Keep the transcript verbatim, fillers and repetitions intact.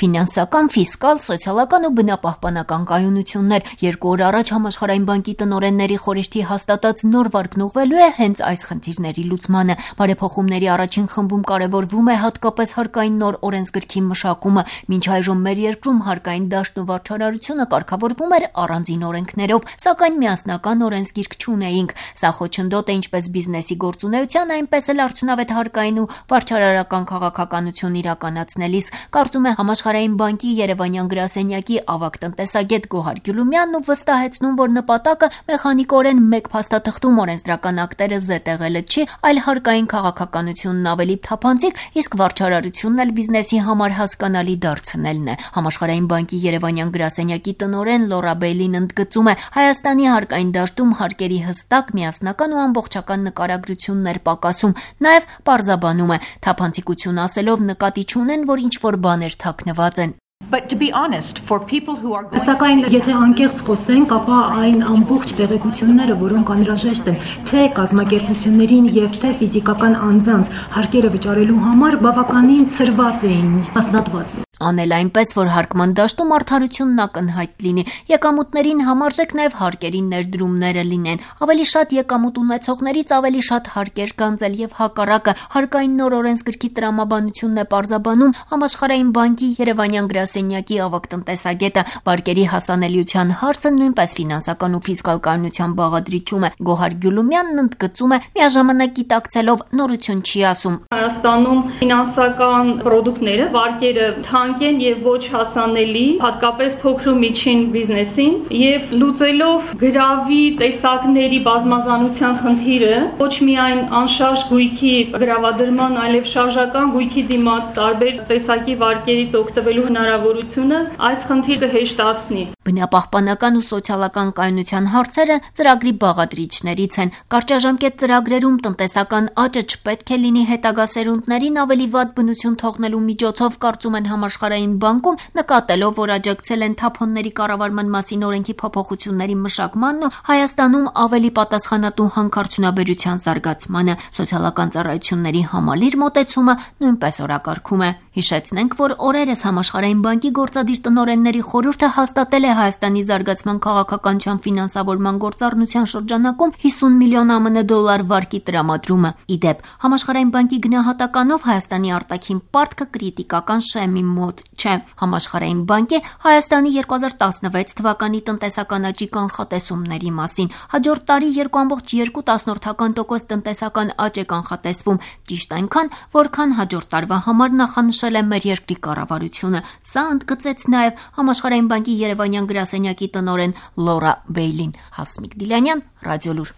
Ֆինանսական, ֆիսկալ, սոցիալական ու բնապահպանական կայունություններ։ Երկու օր առաջ Համաշխարհային բանկի տնօրենների խորհրդի հաստատած նոր վարքն ուղղվելու է հենց այս խնդիրների լուծմանը։ Բարեփոխումների առաջին խմբում կարևորվում է հատկապես հարկային նոր օրենսգրքի մշակումը։ Մինչ այժմ մեր երկրում հարկային դաշտն ու վարչարարությունը կարգավորվում էր առանձին օրենքներով, սակայն միասնական օրենսգիրք չունեինք։ Սա խոչընդոտ է ինչպես բիզնեսի գործունեության, այնպես էլ արդյունավետ հարկային ու վարչարարական քաղաքականություն իրականացնելիս, կարծում է Համաշխարհային բանկի Երևանյան գրասենյակի ավագ տնտեսագետ Գոհար Գյուլումյանն ու վստահեցնում, որ նպատակը մեխանիկորեն մեկ փաստաթղթում օրենսդրական ակտերը զետեղելը չի, այլ հարկային քաղաքականությունն ավելի թափանցիկ, իսկ վարչարարությունն էլ բիզնեսի համար հասկանալի դարձնելն է։ Համաշխարհային բանկի Երևանյան գրասենյակի տնօրեն Լորա Բեյլին ընդգծում է, Հայաստանի հարկային դաշտում հարկերի հստակ, միասնական ու ամբողջական նկարագրություններ պակասում, նաև պարզաբանում է, թափանցիկություն ասելով նկատի չունեն, որ ինչ-որ բաներ թաքնված են։ Սակայն եթե անկեղծ խոսենք, ապա այն ամբողջ տեղեկությունները, որոնք անհրաժեշտ են թե կազմակերպություններին եւ թե ֆիզիկական անձանց հարկերը վճարելու համար, բավականին ցրված էին, հաստատված։ Անել այնպես, որ հարկման դաշտում արդարությունն ակնհայտ լինի, եկամուտներին համարժեք նաև հարկերի ներդրումները լինեն, ավելի շատ եկամուտ ունեցողներից ավելի շատ հարկեր գանձել եւ հակառակը։ Հարկային նոր օրենսգրքի տրամաբանությունն է պարզաբանում Համաշխարհային բանկի Երևանյան գրասենյակի ավագ տնտեսագետը։ Վարկերի հասանելիության հարցը նույնպես ֆինանսական ու ֆիսկալ կայունության բաղադրիչում է։ Գոհար Գյուլումյանն ընդգծում է, միաժամանակ գիտակցելով նորություն չի ասում։ Հայաստանում ֆինանսական պրոդուկտները, վարկերը են եւ ոչ հասանելի, հատկապես փոքր ու միջին բիզնեսին, եւ լուծելով գրավի տեսակների բազմազանության խնդիրը, ոչ միայն անշարժ գույքի գրավադրման, այլև շարժական գույքի դիմաց տարբեր տեսակի վարկերից օգտվելու հնարավորությունը այս խնդիրը հեշտացնի։ Բնապահպանական ու սոցիալական կայունության հարցերը ծրագրի բաղադրիչներից են։ Կարճաժամկետ ծրագրերում տնտեսական աճը չպետք է լինի հետագա սերունդներին ավելի վատ բնություն թողնելու միջոցով, կարծում են Համաշխարհային բանկում, նկատելով, որ աջակցել են թափոնների կառավարման մասին օրենքի փոփոխությունների մշակմանն ու Հայաստանում ավելի պատասխանատու հանքարդյունաբերության զարգացմանը։ Սոցիալական ծառայությունների համալիր մոտեցումը նույնպես օրակարգում է։ Հիշեցնենք, որ օրերս Համաշխարհային բանկի գործադիր տնօրենների խորհուրդը հաստատել է Հայաստանի զարգացման քաղաքականության ֆինանսավորման գործառնության շրջանակում հիսուն միլիոն ԱՄՆ դոլար վարկի տրամադրումը։ Իդեպ, Համաշխարհային բանկի գնահատականով Հայաստանի արտաքին պարտքը կրիտիկական շեմի մոտ չէ։ Համաշխարհային բանկի Հայաստանի երկու հազար տասնվեց թվականի տնտեսական աճի կանխատեսումների մասին։ Հաջորդ տարի երկու կoma երկու տոկոս տնտեսական աճ է կանխատեսվում, ճիշտ այնքան, որքան հաջորդ տարվա համար նախանշել է մեր երկրի կառավարությունը։ Սա ընդգծեց նաև Համաշխարհային բանկի Երևանյան գրասենյակի տնօրեն Լորա Բեյլին։ Հասմիկ Դիլյանյան, Ռադիոլուր։